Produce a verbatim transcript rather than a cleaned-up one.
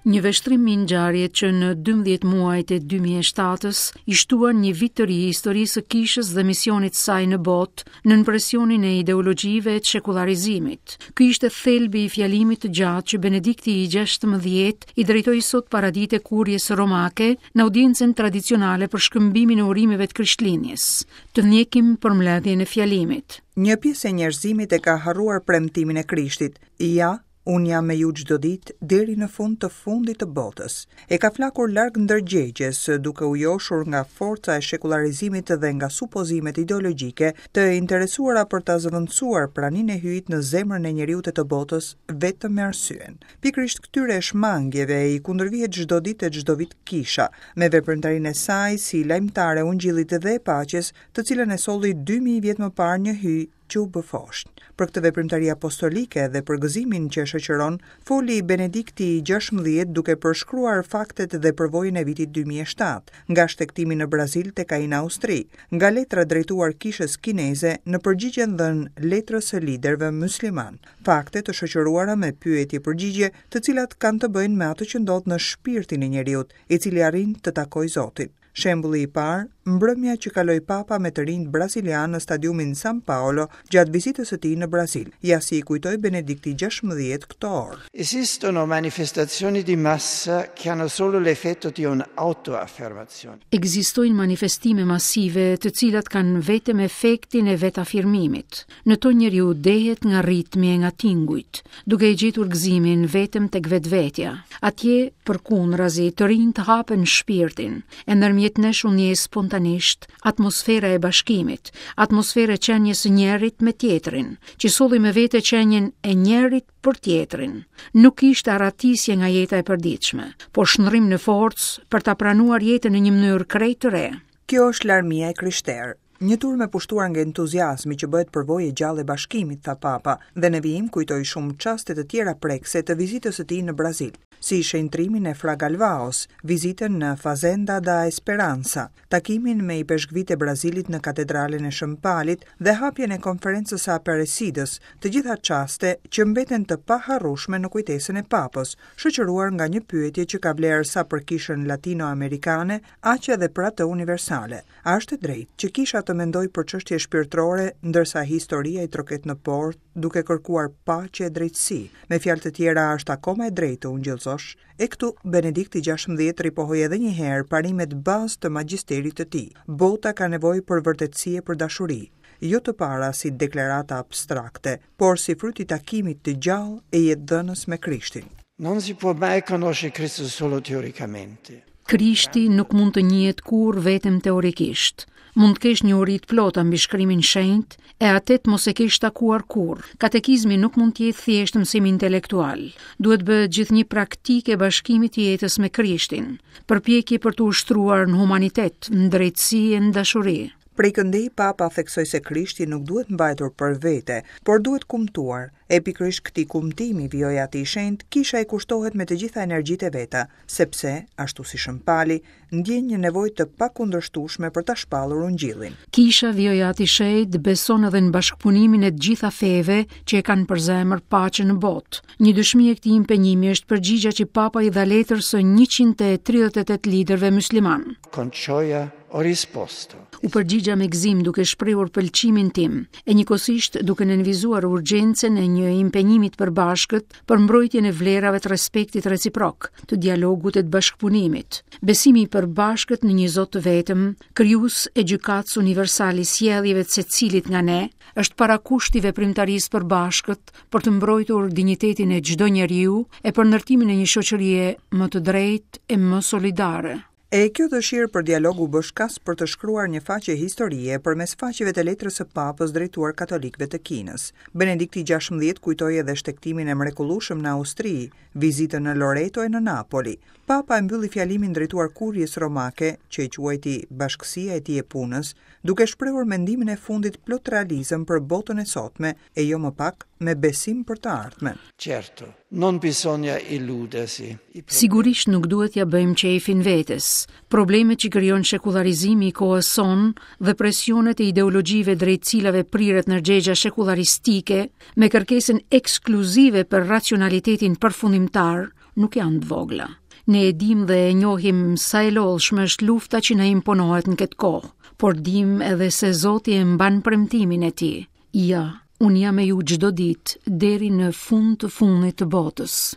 Një vështrim mbi ngjarjet që në dymbëdhjetë muajt e dy mijë e shtatës i shtuan një vit të ri historisë së kishës dhe misionit saj në botë nën presionin e ideologjive të shekullarizimit. Ky ishte thelbi i fjalimit të gjatë që Benedikti i gjashtëmbëdhjetë i drejtoi sot paradite kurjes romake në audiencën tradicionale për shkëmbimin e urimeve të Krishtlindjes. Të ndjekim përmbledhjen e fjalimit. Një pjesë e njerëzimit e ka harruar premtimin e Krishtit. Ja, unë jam me ju çdo ditë deri në fund të fundit të botës. E ka flakur larg ndërgjegjes, duke u joshur nga forca e shekullarizimit dhe nga supozimet ideologjike të interesuara për ta zëvendësuar praninë e Hyjit në zemrën e njeriut e të botës vetëm me arsyen. Pikërisht këtyre shmangjeve i kundërvihet çdo ditë e çdo vit kisha, me veprimtarinë e saj si lajmëtare e ungjillit dhe e paqes, të cilën e solli dy mijë vjet më parë një Hyj që u bë foshnjë. Për këtë veprimtari apostolike dhe për gëzimin që e shoqëron, foli Benedikti i gjashtëmbëdhjetë duke përshkruar faktet dhe përvojën e vitit dy mijë e shtatë, nga shtegtimi në Brazil tek ai në Austri, nga letra drejtuar kishës kineze në përgjigjen dhënë letrës së liderëve musliman, fakte të shoqëruara me pyetje përgjigje, të cilat kanë të bëjnë me atë që ndodh në shpirtin e njeriut, i cili arrin të takojë Zotin. Shembulli i parë, mbrëmja që kaloi Papa me të rinjt brazilian në stadiumin San Paolo gjatë vizitës së tij në Brazil. Ja si i kujtoi Benedikti gjashtëmbëdhjetë këto orë. Esistono manifestazioni di massa che hanno solo l'effetto di un'autoaffermazione. Ekzistojnë manifestime masive të cilat kanë vetëm efektin e vetafirmimit. Në to njeriu dehet nga ritmi e nga tingujt, duke e gjetur gëzimin vetëm tek vetvetja. Atje, përkundrazi, të rinjt hapen shpirtin, e ndërmjet nesh u ndje spontanisht atmosfera e bashkimit, atmosfera e qenies së njerit me tjetrin, që solli me vete qenien e njerit për tjetrin. Nuk ishte arratisje nga jeta e përditshme, por shndrim në forcë për ta pranuar jetën në një mënyrë krejt të re. Kjo është larmia e krishterë. Një turmë e pushtuar nga entuziazmi që bëhet përvojë e gjallë e bashkimit, tha Papa, dhe në vijim kujtoi shumë çaste të tjera prekse të vizitës së tij në Brazil, si shenjtrimin e Fra Galvaos, vizitën në Fazenda da Esperanza, takimin me ipeshkvit e Brazilit në katedralen e Shën Palit dhe hapjen e konferencës së Aparecidës, të gjitha çaste që mbeten të paharrueshme në kujtesën e Papës, shoqëruar nga një pyetje që ka vlerë sa për kishën latinoamerikane, aq edhe për atë universale. A është e drejtë që kisha të mendoj për çështje shpirtërore, ndërsa historia i troket në portë, duke kërkuar paqe e drejtësi? Me fjalë të tjera, është akoma e drejtë të ungjillëzosh? E këtu Benedikti gjashtëmbëdhjetë ripohoi edhe një herë parimet bazë të magjisterit të tij. Bota ka nevojë për vërtetësi e për dashuri, jo të para si deklarata abstrakte, por si fryt i takimit të gjallë e jetëdhënës me Krishtin. Non si può mai conoscere Cristo solo teoricamente. Krishti nuk mund të njihet kurrë vetëm teorikisht. Mund të kesh një uri të plota mbi shkrimin shenjt, e atë të mos e kesh takuar kurrë. Katekizmi nuk mund të jetë thjesht mësim intelektual. Duhet bëhet gjithnjë praktikë e bashkimit të jetës me Krishtin, përpjekje për të ushtruar në humanitet, në drejtësi e në dashuri. Prej këndej Papa theksoi se Krishti nuk duhet mbajtur për vete, por duhet kumtuar. E pikërisht këtij kumtimi, vijoi Ati i Shenjt, kisha i kushtohet me të gjitha energjitë e veta, sepse, ashtu si Shën Pali, ndjen një nevojë të pakundërshtueshme për ta shpallur ungjillin. Kisha, vijoi Ati i Shenjt, beson edhe në bashkëpunimin e të gjitha feve që e kanë për zemër paqen në botë. Një dëshmi e këtij impenjimi është përgjigjja që Papa i dha letrës së njëqind e tridhjetë e tetë liderëve musliman. Con gioia ho risposto. U përgjigja me gëzim duke shprehur pëlqimin tim, e njëkohësisht duke nënvizuar urgjencën e një impenjimi të përbashkët për mbrojtjen e vlerave të respektit reciprok, të dialogut e të bashkëpunimit. Besimi i përbashkët në një Zot të vetëm, krijues e gjykatës universal i sjelljeve të secilit nga ne, është parakusht i veprimtarisë përbashkët për të mbrojtur dinjitetin e çdo njeriu e për ndërtimin e një shoqërie më të drejtë e më solidare. E kjo dëshirë për dialog u bë shkas për të shkruar një faqe historie përmes faqeve të letrës së Papës drejtuar katolikëve të Kinës. Benedikti gjashtëmbëdhjetë kujtoi edhe shtegtimin e mrekullueshëm në Austri, vizitën në Loreto e në Napoli. Papa e mbylli fjalimin drejtuar kurjes romake, që e quajti bashkësia e tij e punës, duke shprehur mendimin e fundit plot realizëm për botën e sotme e jo më pak me besim për të ardhmen. Certo, non bisogna illudersi. Sigurisht nuk duhet ja bëjmë qejfin vetes. Problemet që krijon shekullarizimi i kohës sonë dhe presionet e ideologjive drejt cilave priret ndërgjegja shekularistike me kërkesën ekskluzive për racionalitetin përfundimtar, nuk janë të vogla. Ne e dim dhe e njohim sa e lodhshme është lufta që na imponohet në këtë kohë, por dim edhe se Zoti e mban premtimin e tij. Ja, unë jam me ju çdo ditë deri në fund të fundit të botës.